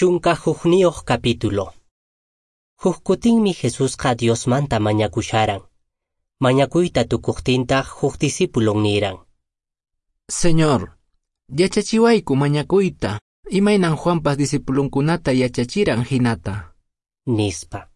11 capítulo. Huk kutinmi Jesusqa Diosmanta mañakusharan. Mañakuyta tukuqtintaq huk discípulon niran: Señor, yachachiwayku mañakuyta, imaynan Juanpas discipulonkunata yachachiran hinata. Nispa.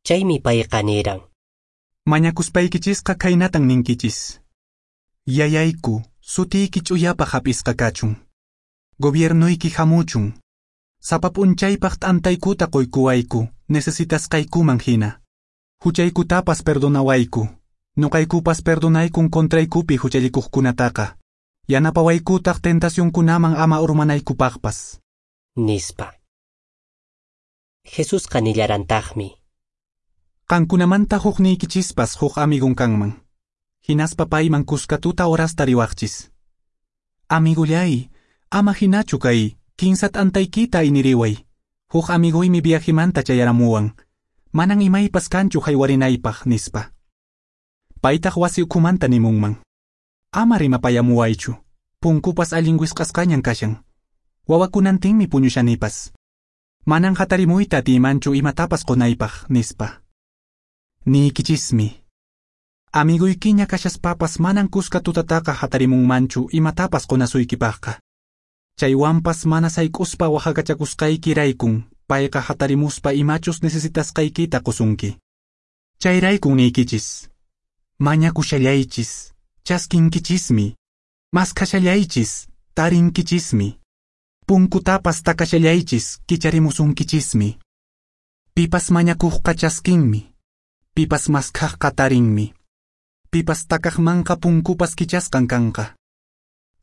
Chaymi payqa niran: Mañakuspaykichisqa khaynatan ninkichis: Yayayku, sutiyki ch'uyapaq hap'isqa kachun. Gobiernoyki hamuchun. Sapa p'unchaypaq t'antaykuta quykuwayku, necesitasqaykuman hina. Huchaykutapas perdonawayku. Nuqaykupas perdonaykun contraykupi huchallikuqkunataqa. Yanapawaykutaq tentacionkunaman ama urmanaykupaqpas. Nispa. Jesusqa nillarantaqmi: Qankunamanta hukniykichispas huk amigun kanman. Hinaspa payman kuska tuta horasta riwaqchis. Amigullay, ama hinachu kay, kinsa t'antaykita ayniriway. Huk amiguymi viajemanta chayaramuwan. Manan imaypas kanchu haywarinaypaq, nispa. Paytaq wasi ukhumanta nimunman: Ama rimapayamuwaychu, punkupas allin wisq'asqañan kashan. Wawakunantinmi puñushanipas. Manan hatarimuyta atiymanchu imatapas qunaypaq, nispa. Niykichismi: Amiguykiña kashaspapas manan kuska tutataqa hatarimunmanchu imatapas qunasuykipaqqa. Chaywanpas mana sayk'uspa waqhakachakusqaykiraykun payqa hatarimuspa imachus necesitasqaykita qusunki. Chayraykun niykichis: Mañakushallaychis, chaskinkichismi. Maskhashallaychis, tarinkichismi. Punkutapas takashallaychis, kicharimusunkichismi. Pipas mañakuqqa chaskinmi. Pipas maskhaqqa tarinmi. Pipas takaqmanqa punkupas kichasqan kanqa.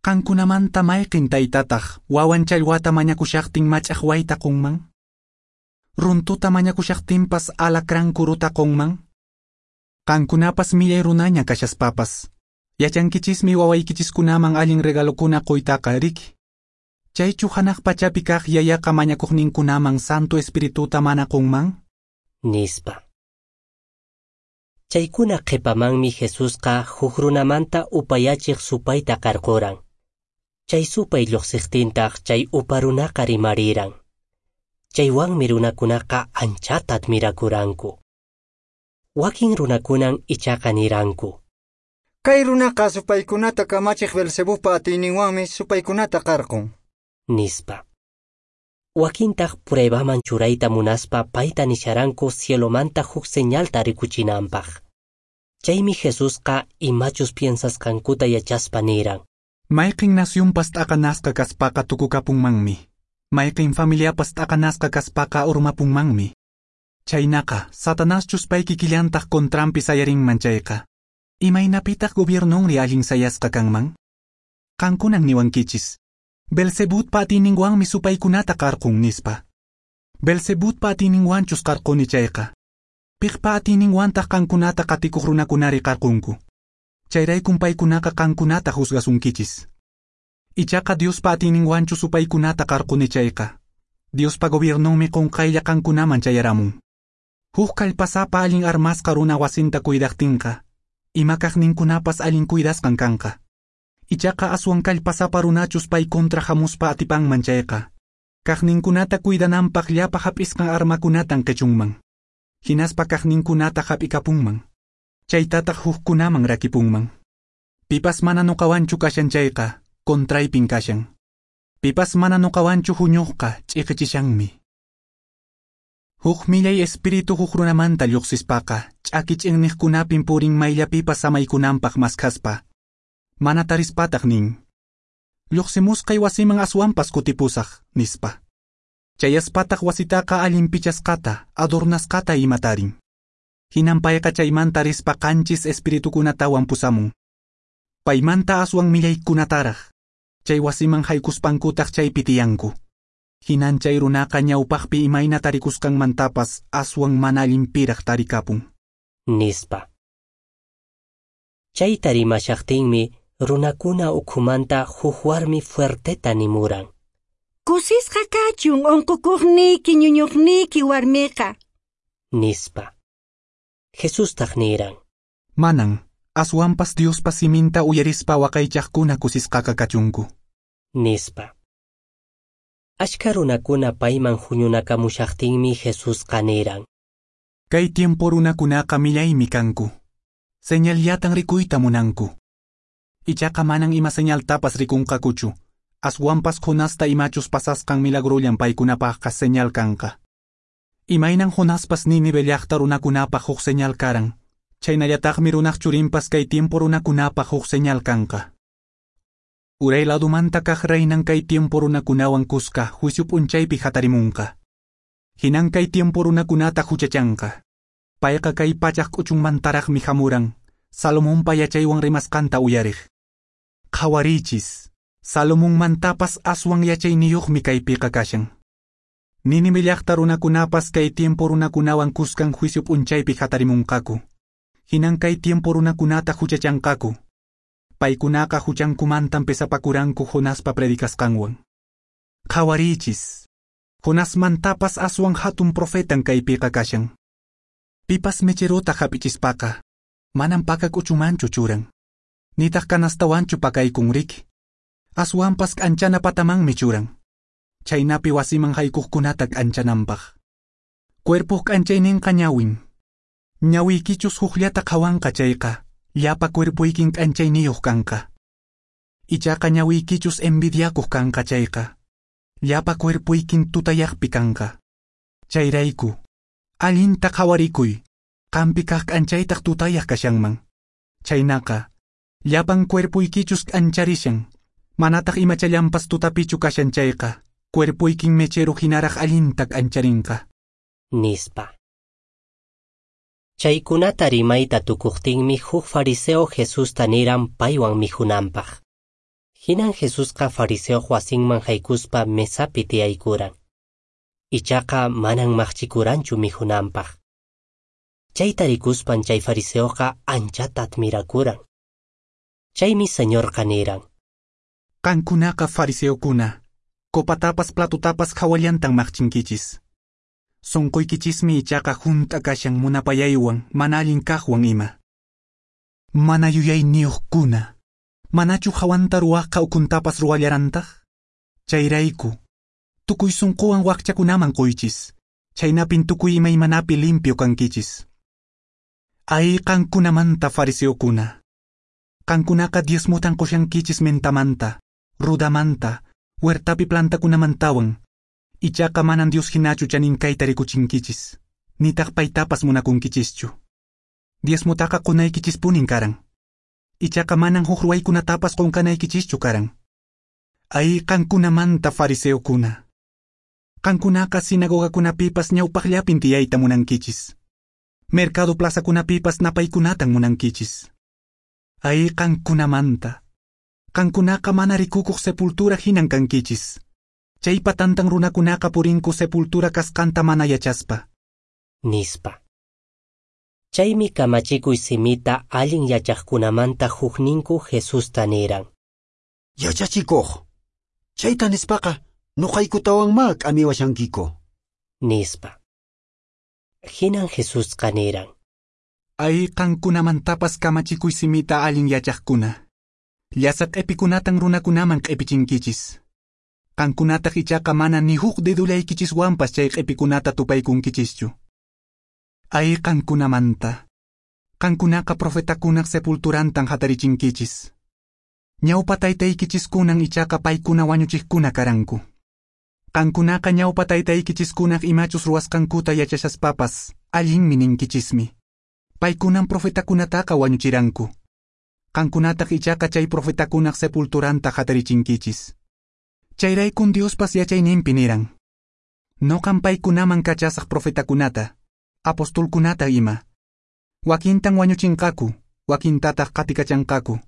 Qankunamanta mayqin taytataq wawan challwata mañakushaqtin mach'aqwayta qunman? Runtuta mañakushaqtinpas alacrán kuruta qunman? Qankunapas millay runaña kashaspapas, yachankichismi wawaykichiskunaman allin regalokuna quytaqa, riki? Chaychu hanaq pachapi kaq yayaqa mañakuqninkunaman Santo Espirituta mana qunman? Nispa. Chaykuna qhipamanmi Jesusqa huk runamanta upayachiq supayta qarquran. Chay supay lluqsiqtintaq chay upa runaqa rimariran. Chaywanmi runakunaqa anchata admirakuranku. Wakin runakunan ichaqa niranku: Kay runaqa supaykunata kamachiq Belcebubpa atiyninwanmi supaykunata qarqun. Nispa. Wakintaq pruebaman churayta munaspa payta nisharanku cielomanta huk señalta rikuchinanpaq. Chaymi Jesusqa imachus piensasqankuta yachaspa niran: Mayqin nacionpas t'aqanasqa kaspaqa tukukapunmanmi. Mayqin familiapas t'aqanasqa kaspaqa urmapunmanmi. Chaynaqa, Satanaschus pay kikillantaq contranpi sayarinman chayqa, imaynapitaq gobiernonri allin sayasqa kanman? Qankunan niwankichis: Belcebutpa atiyninwanmi supaykunata qarqun, nispa. Belcebutpa atiyninwanchus qarquni chayqa, piqpa atiyninwantaq qankunata qatikuq runakunari qarqunku? Chayraykun paykunaqa qankunata juzgasunkichis. Ichaqa Diospa atiyninwanchu supaykunata qarquni chayqa, Diospa gobiernonmi qunqaylla qankunaman chayaramun. Huk kallpasapa allin armasqa runa wasinta cuidaqtinqa, ima kaqninkunapas allin cuidasqan kanqa. Ichaqa aswan kallpasapa runachus pay kontra hamuspa atipanman chayqa, kaqninkunata cuidananpaq llapa hap'isqan armakunatan qichunman. Hinaspa kaqninkunata hap'ikapunman. Chaytataq hukkunaman rakipunman. Pipas mana nuqawanchu kashan chayqa, contraypin kashan. Pipas mana nuqawanchu huñuqqa ch'iqichishanmi. Huk millay espíritu huk runamanta lluqsispaqa, ch'aki ch'inniqkunapin purin mayllapipas samaykunanpaq maskhaspa. Mana tarispataq nin: Lluqsimusqay wasiman aswanpas kutipusaq, nispa. Chayaspataq wasitaqa allin pichasqata, adornasqata ima tarin. Hinan payqa chaymanta rispa qanchis espiritukunatawan pusamun. Paymanta aswan millaykunataraq. Chay wasiman haykuspankutaq chaypi tiyanku. Hinan chay runaqa ñawpaqpi imayna tarikusqanmantapas aswan mana allinpiraq tarikapun. Nispa. Chayta rimashaqtinmi runakuna ukhumanta huk warmi fuerteta nimuran: Kusisqa kachun unqukuqniyki ñuñuqniyki warmiqa. Nispa. Jesustaq niran: Manan, aswanpas Diospa siminta uyarispa waqaychaqkuna kusisqaqa kachunku. Nispa. Ashka runakuna payman huñunakamushaqtinmi Jesusqa niran: Kay tiempo runakunaqa millaymi kanku. Señalllatan rikuyta munanku. Ichaqa manan ima señaltapas rikunqakuchu. Aswanpas Jonasta imachus pasasqan milagrullan paykunapaqqa señal kanqa. Imaynan Jonaspas Nínive llaqta runakunapaq huk señal karan, chaynallataqmi runaq churinpas kay tiempo runakunapaq huk señal kanqa. Uray ladumanta kaq reinan kay tiempo runakunawan kuska juicio p'unchaypi hatarimunqa. Hinan kay tiempo runakunata huchachanqa. Payqa kay pachaq k'uchunmantaraqmi hamuran, Salomonpa yachaywan rimasqanta uyariq. Qhawarichis, Salomonmantapas aswan yachayniyuqmi kaypiqa kashan. Nínive llaqta runakunapas kay tiempo runakunawan kuskan juicio p'unchaypi hatarimunqaku. Hinan kay tiempo runakunata huchachanqaku. Paykunaqa huchankumantan pesapakuranku Jonaspa predicasqanwan. Qhawarichis, Jonasmantapas aswan hatun profetan kaypiqa kashan. Pipas mecherota hap'ichispaqa, manan paka k'uchumanchu churan. Nitaq kanastawanchu pakaykun riki. Aswanpas k'anchana patamanmi churan. Chaynapi wasiman haykuqkunata k'anchananpaq. Cuerpoq k'anchayninqa ñawin. Ñawiykichus hukllata qhawanqa chayqa, llapa cuerpoykin k'anchayniyuq kanqa. Ichaqa ñawiykichus envidiakuq kanqa chayqa, llapa cuerpoykin tutayaqpi kanqa. Chayrayku, allinta qhawarikuy, qampi kaq k'anchaytaq tutayaq kashanman. Chaynaqa, llapan cuerpoykichus k'ancharishan, manataq imachallanpas tutapichu kashan chayqa, cuerpoykin mechero hinaraq allinta k'ancharinqa. Nispa. Chaykunata rimayta tukuqtinmi huk fariseo Jesusta niran paywan mikhunanpaq. Hinan Jesusqa fariseoq wasinman haykuspa mesapi tiyaykuran. Ichaqa manan maqchikuranchu mikhunanpaq. Chayta rikuspan chay fariseoqa anchata admirakuran. Chaymi Señorqa niran: Qankunaqa fariseokuna, copatapas platotapas hawallantan maqchinkichis. Sonqoykichismi ichaqa hunt'a kashan munapayaywan mana allin kaqwan ima. Mana yuyayniyuqkuna, manachu hawanta ruwaqqa ukuntapas ruwallarantaq? Chayrayku, tukuy sunquwan wakchakunaman quychis, chaynapin tukuy imaymanapi limpio kankichis. Ay qankunamanta fariseokuna, qankunaqa diezmotan qushankichis mentamanta, rudamanta, huertapi plantakunamantawan. Ichaqa manan Dios hinachu chaninkayta rikuchinkichis, nitaq paytapas munakunkichischu. Diezmotaqa qunaykichispunin karan. Ichaqa manan huk ruwaykunatapas qunqanaykichischu karan. Ay qankunamanta fariseokuna. Qankunaqa sinagogakunapipas ñawpaqllapin tiyayta munankichis. Mercado plazakunapipas napaykunatan munankichis. Ay qankunamanta. Qankunaqa mana rikukuq sepultura hinan kankichis. Chaypa tantan runakunaqa purinku sepultura kasqanta mana yachaspa. Nispa. Chaymi kamachikuy simita allin yachaqkunamanta hukninku Jesusta niran: Yachachikuq, chayta nispaqa nuqaykutawanmá k'amiwashankiku. Nispa. Hinan Jesusqa niran: Ay qankunamantapas kamachikuy simita allin yachaqkuna. Llasa q'epikunatan runakunaman q'epichinkichis. Qankunataq ichaqa mana ni huk dedullaykichiswanpas chay q'epikunata tupaykunkichischu. Ay qankunamanta. Qankunaqa profetakunaq sepulturantan hatarichinkichis. Ñawpa taytaykichiskunan ichaqa paykuna wañuchiqkuna karanku. Qankunaqa ñawpa taytaykichiskunaq imachus ruwasqankuta yachashaspapas allinmi ninkichismi. Paykunan profetakunataqa wañuchiranku. Qankunataq ichaqa chay profetakunaq sepulturanta hatarichinkichis. Chayraykun Diospas yachayninpi niran: Noqan paykunaman kachasaq profetakunata, apostolkunata ima. Wakintan wañuchinqaku, wakintataq qatikachanqaku.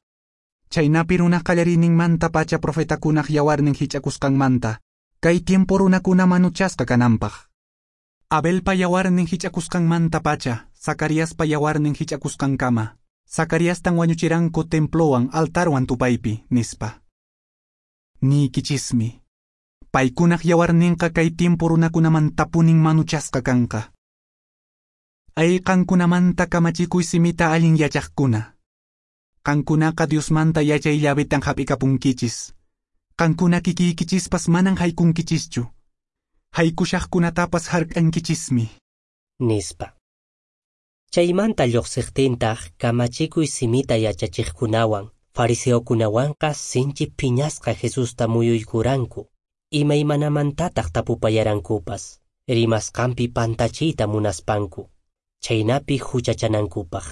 Chaynapi runaq qallariyninmanta pacha profetakunaq yawarnin hich'akusqanmanta, kay tiempo runakuna manuchasqa kananpaq. Abelpa yawarnin hich'akusqanmanta pacha, Zacariaspa yawarnin hich'akusqankama. Zacariastan wañuchiranku templowan altarwan tupaypi, nispa. Niykichismi, paykunaq yawarninqa kay tiempo runakunamantapunin manuchasqa kanqa. Ay qankunamanta kamachikuy simita allin yachaqkuna. Qankunaqa Diosmanta yachay llavetan hap'ikapunkichis. Qankuna kikiykichispas manan haykunkichischu. Haykushaqkunatapas hark'ankichismi. Nispa. Chaymanta lluqsiqtintaq kamachikuy simita yachachiqkunawan, fariseokunawanqa sinchi phiñasqa Jesusta muyuykuranku, imaymanamantataq tapupayarankupas, rimasqanpi pantachiyta munaspanku, chhaynapi huchachanankupaq.